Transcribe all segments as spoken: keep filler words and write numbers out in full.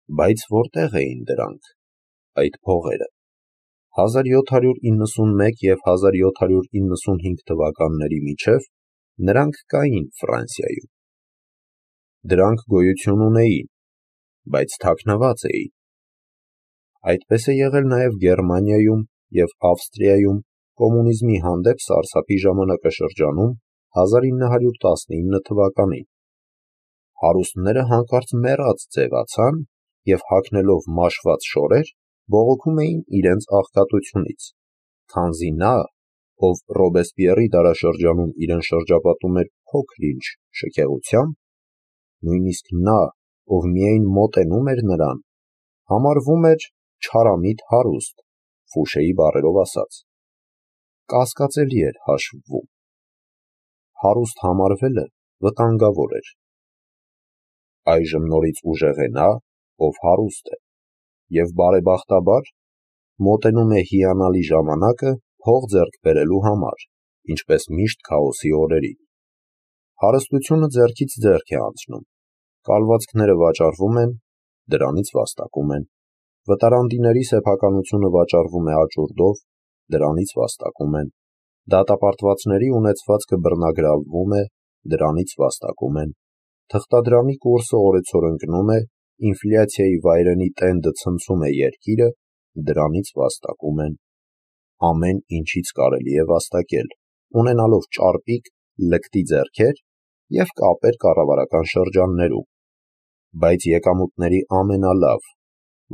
Բայց որտեղ էին դրանք, այդ փողերը։ հազար յոթ հարյուր իննսունմեկ և հազար յոթ հարյուր իննսունհինգ թվականների միջև նրանք կային Ֆրանսիայում։ Դրանք գոյություն ունեին, բայց թաքնված էին։ Այդպես է եղել նաև Գերմանիայում և Ավստրիայում կոմունիզմի հանդեպ սարսափի ժամանակաշրջանում հազար ինը հարյուր տասնինը թվականին։ Հարուստները հանկարծ մեռած ձևացան և հագնելով մաշված շորեր, բողոքում էին իրենց աղքատությունից, քանզի նա, ով Ռոբեսպիեռի դարաշրջանում իրեն շրջապատում էր փոքր-ինչ շքեղությամբ, նույնիսկ նա, ով միայն մոտենում էր նրան, համարվում էր չարամիտ հարուստ, Ֆուշեի բառերով ասած, կասկածելի էր հաշվվում։ Հարուստ համարվելը վտանգավոր էր։ Այժմ նորից ուժեղ է նա, ով հարուստ է, և բարեբախտաբար մոտենում է հիանալի ժամանակը փող ձեռք բերելու համար, ինչպես միշտ քաոսի օրերին։ Հարստությունը ձեռքից ձեռք է անցնում, կալվածքները վաճառվում են, դրանից վաստակում են, վտարանդիների սեփականությունը վաճառվում է աճուրդով, դրանից վաստակում են, դատապարտվածների ունեցվածքը բռնագրավվում է, դրանից վաստակում են, թղթադրամի կուրսը օրեցօր ընկնում է, ինֆլյացիայի վայրենի տենդը ցնցում է երկիրը, դրանից վաստակում են։ Ամեն ինչից կարելի է վաստակել, ունենալով ճարպիկ, լկտի ձեռքեր և կապեր կառավարական շրջաններում, բայց եկամուտների ամենալավ,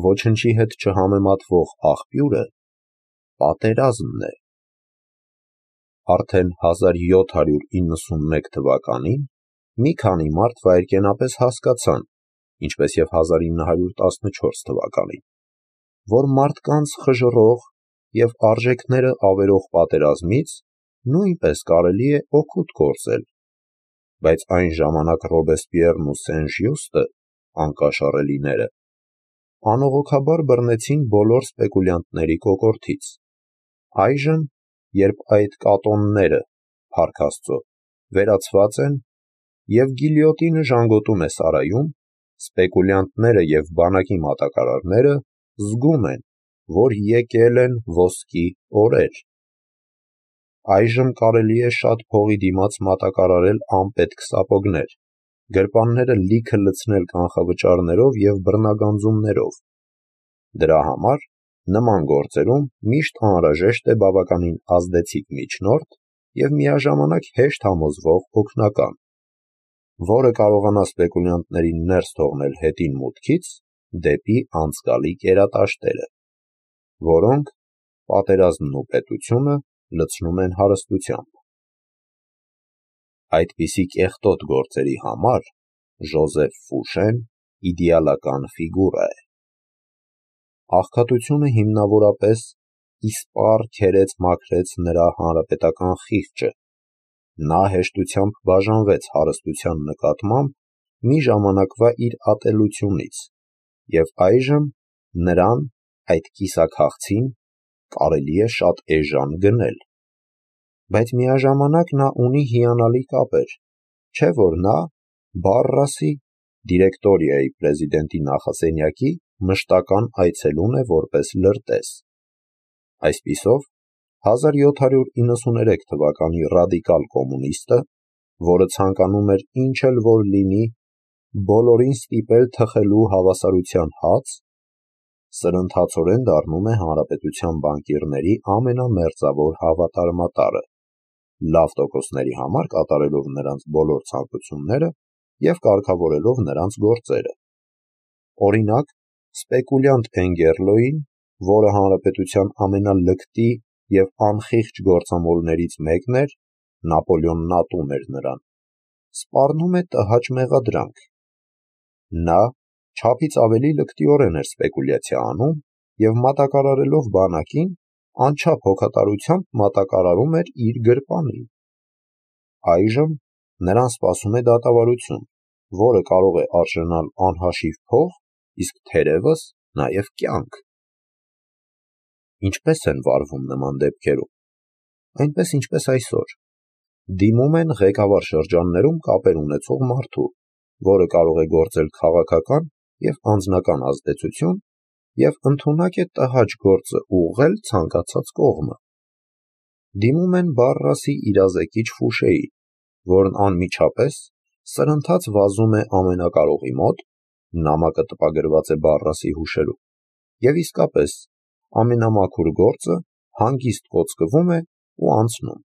ոչնչի հետ չհամեմատվող աղբյուրը պատերազմն է։ Արդեն հազար յոթ հարյուր իննսունմեկ թվականին մի քանի մարդ վայրկենապես հասկացան, ինչպես և հազար ինը հարյուր տասնչորս թվականին, որ մարդկանց խժռող և արժեքները ավերող պատերազմից նույնպես կարելի է օգուտ գործել, բայց այն ժամանակ Ռոբեսպիեռն ու Սեն-Ժյուստը, անկաշառելիները, անողոքաբար բռնեցին բոլոր սպեկուլյանտների կոկորդից։ Այժմ, երբ այդ կատոնները, փառք Աստծո, վերացված են և գիլյոտինը ժանգոտում է սարայում, սպեկուլյանտները և բանակի մատակարարները զգում են, որ եկել են ոսկի օրեր։ Այժմ կարելի է շատ փողի դիմաց մատակարարել անպետք սապոգներ, գրպանները լիքը լցնել կանխավճարներով և բռնագանձումներով։ Դրա համար նման գործերում միշտ անհրաժեշտ է բավականին ազդեցիկ միջնորդ և միաժամանակ հեշտ համոզվող օգնական, որը կարողանա սպեկուլյանտներին ներս թողնել հետին մուտքից դեպի անցկալի կերատաշտերը, որոնք պատերազմն ու պետությունը լցնում են հարստությամբ։ Այդպիսի կեղտոտ գործերի համար Ժոզեֆ Ֆուշեն իդեալական ֆիգուրա է։ Աղքատությունը հիմնավորապես իսպառ քերեց-մաքրեց նրա հանրապետական խիղճը, նա հեշտությամբ բաժանվեց հարստության նկատմամբ մի ժամանակվա իր ատելությունից, և այժմ նրան, այդ կիսաքաղցին, կարելի է շատ էժան գնել։ Բայց միաժամանակ նա ունի հիանալի կապեր, չէ՞ որ նա Բարրասի, դիրեկտորիայի պրեզիդենտի նախասենյակի մշտական այցելուն է որպես լրտես։ Այսպիսով, հազար յոթ հարյուր իննսուներեք թվականի ռադիկալ կոմունիստը, որը ցանկանում էր ինչ էլ որ լինի, բոլորին ստիպել թխելու հավասարության հաց, սրընթացորեն դառնում է հանրապետության բանկիրների ամենամերձավոր հավատարմատարը, լավ տոկոսների համար կատարելով նրանց բոլոր ցանկությունները և կարգավորելով նրանց գործերը։ Օրինակ, սպեկուլյանտ Էնգերլոյին, որը հանրապետության ամենալկտի և անխիղճ գործամոլներից մեկն էր, Նապոլեոնն ատում էր նրան, սպառնում է տհաճ մեղադրանք։ Նա չափից ավելի լկտիորեն էր սպեկուլյացիա անում և մատակարարելով բանակին, անչափ հոգատարությամբ մատակարարում էր իր գրպանին։ Այժմ նրան սպասում է դատավարություն, որը կարող է արժանալ անհաշիվ փող, իսկ թերևս նաև կյանք։ Ինչպե՞ս են վարվում նման դեպքերում։ Այնպես, ինչպես այսօր։ Դիմում են ղեկավար շրջաններում կապեր ունեցող մարդու, որը կարող է գործել քաղաքական և անձնական ազդեցություն և ընդունակ է տհաճ գործը ուղղել ցանկացած կողմը։ Դիմում են Բարրասի իրազեկիչ Ֆուշեի, որն անմիջապես սրընթաց վազում է ամենակարողի մոտ, նամակը տպագրված է Բարրասի հուշերում, և իսկապես ամենամաքուր գործը հանգիստ կոծկվում է ու անցնում։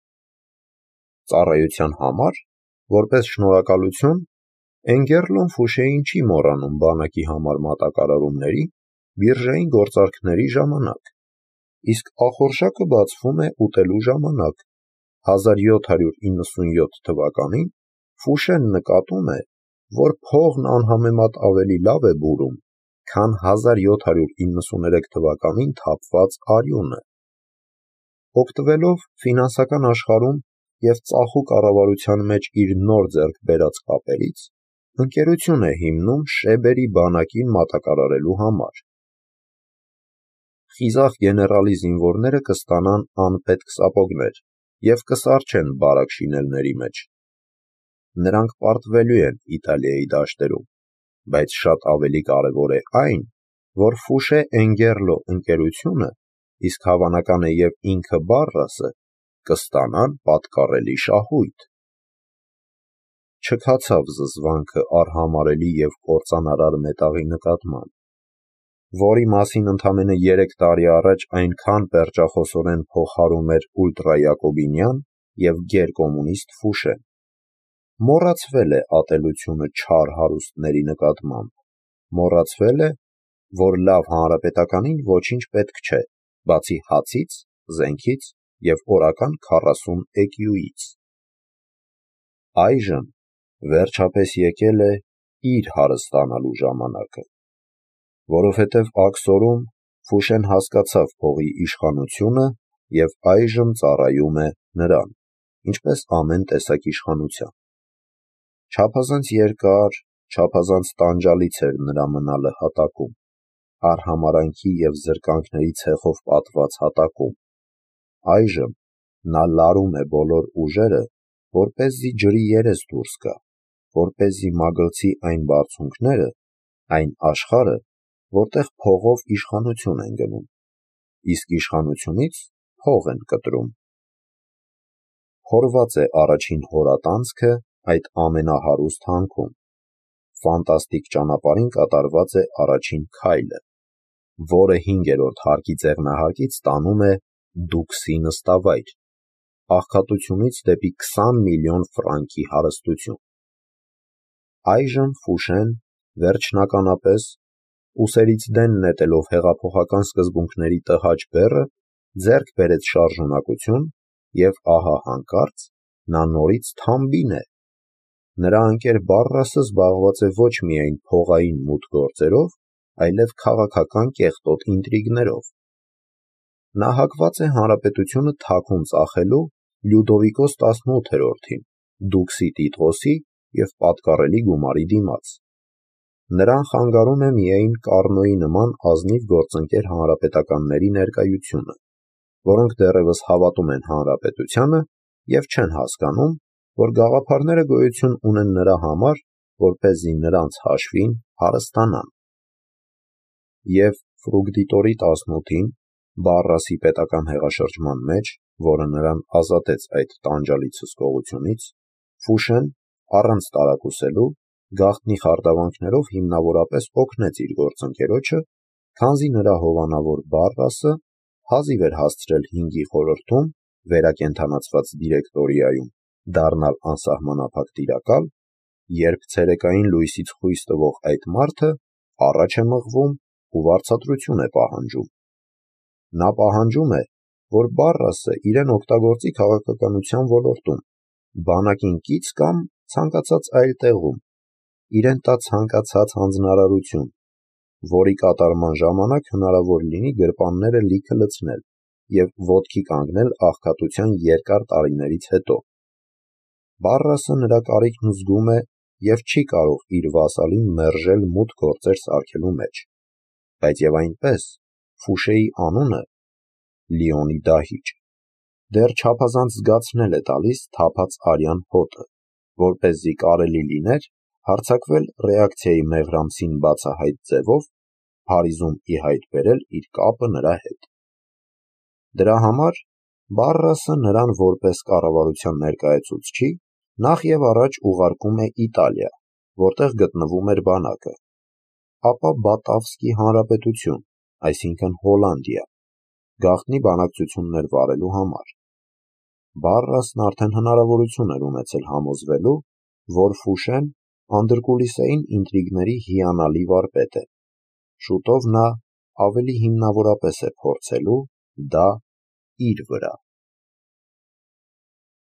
Ծառայության համար, որպես շնորհակալություն, Էնգերլոն Ֆուշեին չի մոռանում բանակի համար մատակարարումների, բիրժային գործարքների ժամանակ, իսկ ախորժակը բացվում է ուտելու ժամանակ։ հազար յոթ հարյուր իննսունյոթ թվականին Ֆուշեն նկատում է, որ փողն անհամեմատ ավելի լավ է բուրում, քան հազար յոթ հարյուր իննսուներեք թվականին թափված արյունը։ Օգտվելով ֆինանսական աշխարհում և ծախու կառավարության մեջ իր նոր ձեռք բերած կապերից, ընկերություն է հիմնում Շեբերի բանակին մատակարարելու համար։ Խիզախ գեներալի զինվորները կստանան անպետք սապոգներ և կսառչեն բարակ շինելների մեջ։ Նրանք պարտվելու են Իտալիայի դաշտերում, բայց շատ ավելի կարևոր է այն, որ Ֆուշե-Էնգերլո ընկերությունը, իսկ հավանական է և ինքը Բարրասը, կստանան պատկառելի շահույթ։ Չքացավ զզվանքը արհամարհելի և կործանարար մետաղի նկատմամբ, որի մասին ընդամենը երեք տարի առաջ այնքան պերճախոսորեն փողհարում էր ուլտրայակոբինյան և գերկոմունիստ Ֆուշեն։ Մոռացվել է ատելությունը չար հարուստների նկատմամբ, մոռացվել է, որ լավ հանրապետականին ոչինչ պետք չէ, բացի հացից, զենքից և օրական քառասուն էկյուից։ Այժմ վերջապես եկել է իր հարստանալու ժամանակը, որովհետև աքսորում Ֆուշեն հասկացավ փողի իշխանությունը և այժմ ծառայում է նրան, ինչպես ամեն տեսակ իշխանության։ Չափազանց երկար, չափազանց տանջալից էր նրա մնալը հատակում, արհամարհանքի և զրկանքների ցեխով պատված հատակում։ Այժմ նա լարում է բոլոր ուժերը, որպեսզի ջրի երես դուրս գա, որպեսզի մագլցի այն բարձունքները, այն աշխարհը, որտեղ փողով իշխանություն են գնում, իսկ իշխանությունից փող են կտրում։ Փորված է առաջին հորատանցքը այդ ամենահարուստ հանքում։ Ֆանտաստիկ ճանապարհին կատարված է առաջին քայլը, որը հինգերորդ հարկի ձեղնահարկից տանում է Դուքսի նստավայր, աղքատությունից դեպի քսան միլիոն ֆրանկի հարստություն։ Այժմ Ֆուշեն, վերջնականապես, ուսերից դեն նետելով հեղափոխական սկզբունքների տհաճ բեռը, ձեռք բերեց շարժունակություն և ահա հանկարծ նա նորից թամբին է։ Նրա ընկեր Բարրասը զբաղված է ոչ միայն փողային մութ գործերով, այլև քաղաքական կեղտոտ ինտրիգներով։ Նա հակված է հանրապետությունը թաքուն ծախելու Լյուդովիկոս տասնութերորդին, Դուքսի Տիտղոսի և պատկառելի գումարի դիմաց։ Նրան խանգարում է միայն Կառնոյի նման ազնիվ գործընկեր հանրապետականների ներկայությունը, որոնք դեռևս հավատում են հանրապետությանը և չեն հասկանում, որ գաղափարները գոյություն ունեն նրա համար, որպեսզի նրանց հաշվին հարստանան։ Եվ Ֆրուգդիտորի տասնութին, Բարրասի պետական հեղաշրջման մեջ, որը նրան ազատեց այդ տանջալի ցսկողությունից, Ֆուշեն, առանց տարակուսելու, գաղտնի խարդավանքներով հիմնավորապես օգնեց իր գործընկերոջը, քանզի նրա հովանավոր Բարրասը հազիվ էր հասցրել հինգի խորհրդում վերակենդանացված դիրեկտորիայում դառնալ անսահմանափակ տիրակալ, երբ ցերեկային լույսից խույս տվող այդ մարդը առաջ է մղվում ու վարձատրություն է պահանջում։ Նա պահանջում է, որ Բարրասը իրեն օգտագործի քաղաքականության ոլորտում, բանակին կից կամ ցանկացած այլ տեղում, իրեն տա ցանկացած հանձնարարություն, որի կատարման ժամանակ հնարավոր լինի գրպանները լիքը լցնել և ոտքի կանգնել աղքատության երկար տարիներից հետո։ Բարրասը նրա կարիքն զգում է և չի կարող իր վասալին մերժել մութ գործեր սարքելու մեջ, բայց և այնպես Ֆուշեի անունը Լիոնի դահիճ դեռ չափազանց զգացնել է տալիս թափած արյան հոտը, որպեսզի կարելի լիներ հարձակվել ռեակցիայի մեղրամսին բացահայտ ձևով, Փարիզում ի հայտ բերել իր կապը նրա հետ։ Դրա համար Բարրասը նրան որպես կառավարության ներկայացուցչի նախ և առաջ ուղարկում է Իտալիա, որտեղ գտնվում էր բանակը, ապա Բատավսկի հանրապետություն, այսինքն Հոլանդիա, գաղտնի բանակցություններ վարելու համար։ Բարրասն արդեն հնարավորություն էր ունեցել համոզվելու, որ Ֆուշեն անդրկուլիսային ինտրիգների հիանալի վարպետ է, շուտով նա ավելի հիմնավորապես է փորձելու դա իր վրա։